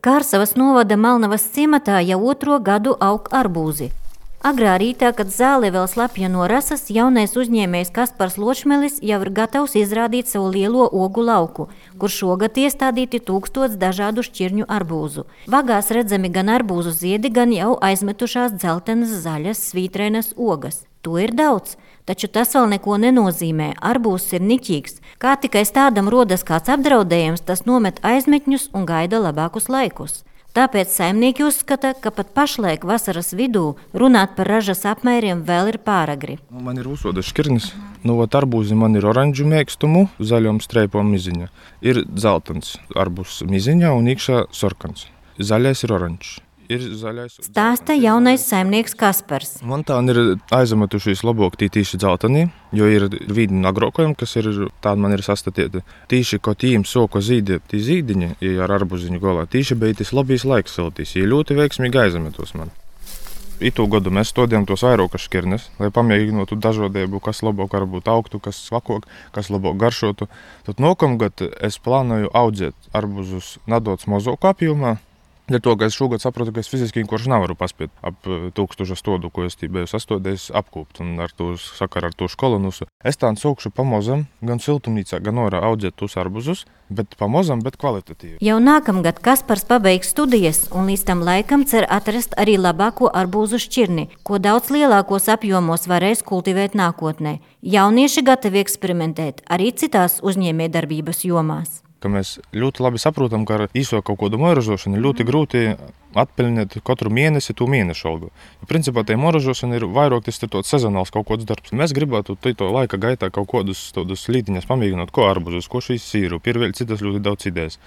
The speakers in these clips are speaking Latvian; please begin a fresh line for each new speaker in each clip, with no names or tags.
Kārsavas novada Malnavas ciematā jau 2. gadu aug arbūzi. Agrā rītā, kad zāle vēl slapja no rasas, jaunais uzņēmējs Kaspars Ločmelis jau ir gatavs izrādīt savu lielo ogu lauku, kur šogad iestādīti 1000 dažādu šķirņu arbūzu. Vagās redzami gan arbūzu ziedi, gan jau aizmetušās dzeltenas, zaļas, svītrenas ogas. To ir daudz, taču tas vēl neko nenozīmē. Arbūzs ir niķīgs. Kā tikai tādam rodas kāds apdraudējums, tas nomet aizmetņus un gaida labākus laikus. Tāpēc saimnieki uzskata, ka pat pašlaik vasaras vidū runāt par ražas apmēriem vēl ir pāragri.
Man ir uzsodas šķirnes. Arbūzi man ir oranžu mēkstumu, zaļom streipom miziņa. Ir dzeltens arbūzs miziņā un iekšā sorkans. Zaļais ir oranžs.
Stāsta jaunais saimnieks Kaspars.
Man tā ir aizametušies labāk tīši dzeltenī, jo ir vīdi agrokojumi, kas ir tādi man ir sastatīti. Tīši, ko tīm soko zīdi, tī zīdiņi, ja ar arbuziņu golā, tīši bija tas labīs laiks siltīs, ja ļoti veiksmīgi aizametos man. Itu gadu mēs stodījām tos vairākas šķirnes, lai pamēģinātu dažādību, kas labāk varbūt augtu, kas svakāk, kas labāk garšotu. Tad nākamgad es plānoju audzēt arbūzus nedaudz mazāku apjomā. Dēļ to, ka es šogad saprotu, ka es fiziski vienkārši nevaru paspēt ap 1000 stodu, ko es biju sastodējis apkūpt un ar to sakaru ar to skolonusu. Es tā sākšu pamazam, gan siltumnīcā, gan orā audzēt tos arbūzus, bet pamazam, bet kvalitatīvi.
Jau nākamgad Kaspars pabeigs studijas un līdz tam laikam cer atrast arī labāko arbūzu šķirni, ko daudz lielākos apjomos varēs kultivēt nākotnē. Jaunieši gatavi eksperimentēt arī citās uzņēmējdarbības jomās.
Ka mēs ļoti labi saprotam, ka ar īso kaut kādu moražošanu ļoti grūti atpeļņot katru mēnesi to mēnešu algu. Principā tie moražošana ir vairāk tas ir tāds sezonāls kaut kāds darbs. Mēs gribētu to laika gaitā kaut kādus lītiņas pamēģināt, ko arbūzus, ko šīs sīru, ir vēl citas ļoti daudz idejas.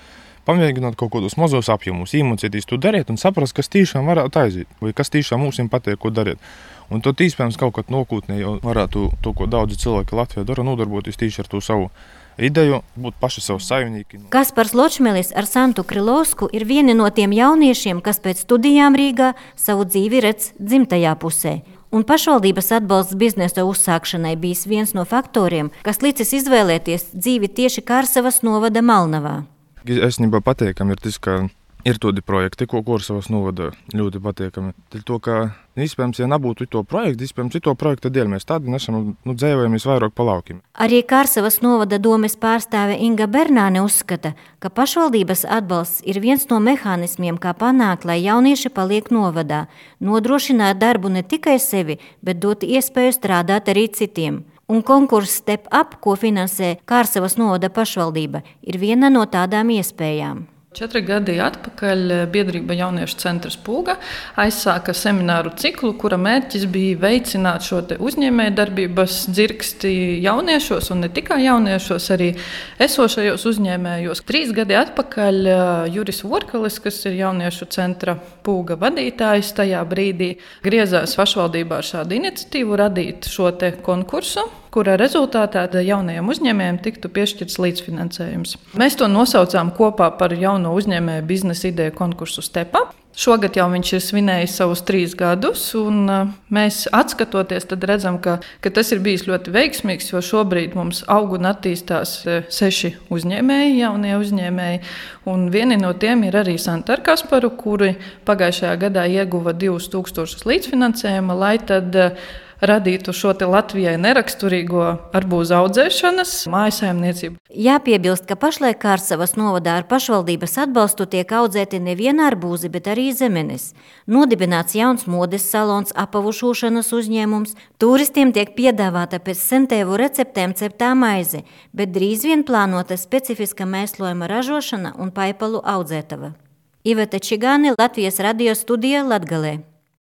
Pamēģināt kaut kādus mazos apjomus, iemācīties to darīt un saprast, kas tiešām varētu aiziet, vai kas tiešām mums patīk, ko darīt. Un to iespējams kaut kad nākotnē jau varētu to, ko daudzi cilvēki Latvijā dara, nodarboties tieši ar to savu ideju, būt paši savu saimnieki.
Kaspars Ločmelis ar Santu Krilovsku ir vieni no tiem jauniešiem, kas pēc studijām Rīgā savu dzīvi redz dzimtajā pusē. Un pašvaldības atbalsts biznesa uzsākšanai bijis viens no faktoriem, kas licis izvēlēties dzīvi tieši Kārsavas novada Malnavā.
Esnībā pateikam ir tas, ka ir tādi projekti, ko Kārsavas novada ļoti pateikami. To, ka iespējams, ja nebūtu to projektu, iespējams, to projekta dēļ mēs tādi nesam dzēvojamies vairāk pa laukiem.
Arī Kārsavas novada domes pārstāve Inga Bernāne uzskata, ka pašvaldības atbalsts ir viens no mehānismiem, kā panākt, lai jaunieši paliek novadā, nodrošināt darbu ne tikai sevi, bet dot iespēju strādāt arī citiem. Un konkurss Step Up, ko finansē Kārsavas novada pašvaldība, ir viena no tādām iespējām.
4 gadi atpakaļ biedrība Jauniešu centrs Pūga aizsāka semināru ciklu, kura mērķis bija veicināt šo uzņēmējdarbības dzirksti jauniešos un ne tikai jauniešos, arī esošajos uzņēmējos. 3 gadi atpakaļ Juris Vorkalis, kas ir Jauniešu centra Pūga vadītājs, tajā brīdī griezās pašvaldībā ar šādu iniciatīvu radīt šo konkursu, kura rezultātā jaunajiem uzņēmējiem tiktu piešķirts līdzfinansējums. Mēs to nosaucām kopā par jauno uzņēmēju biznesa ideju konkursu Step Up. Šogad jau viņš ir svinējis savus 3 gadus, un mēs atskatoties, tad redzam, ka tas ir bijis ļoti veiksmīgs, jo šobrīd mums aug un attīstās 6 uzņēmēji, jaunie uzņēmēji, un vieni no tiem ir arī Santa ar Kasparu, kuri pagājušajā gadā ieguva 2000 līdzfinansējuma, lai tad radītu šo Latvijai neraksturīgo arbūzu audzēšanas mājsaimniecību.
Jāpiebilst, ka pašlaik Kārsavas novadā ar pašvaldības atbalstu tiek audzēti nevien arbūzi, bet arī zemenes. Nodibināts jauns modes salons, apavu šūšanas uzņēmums, turistiem tiek piedāvāta pēc sentēvu receptēm ceptā maize, bet drīz vien plānota specifiska mēslojuma ražošana un paipalu audzētava. Iveta Čigāne, Latvijas radio studija Latgalē.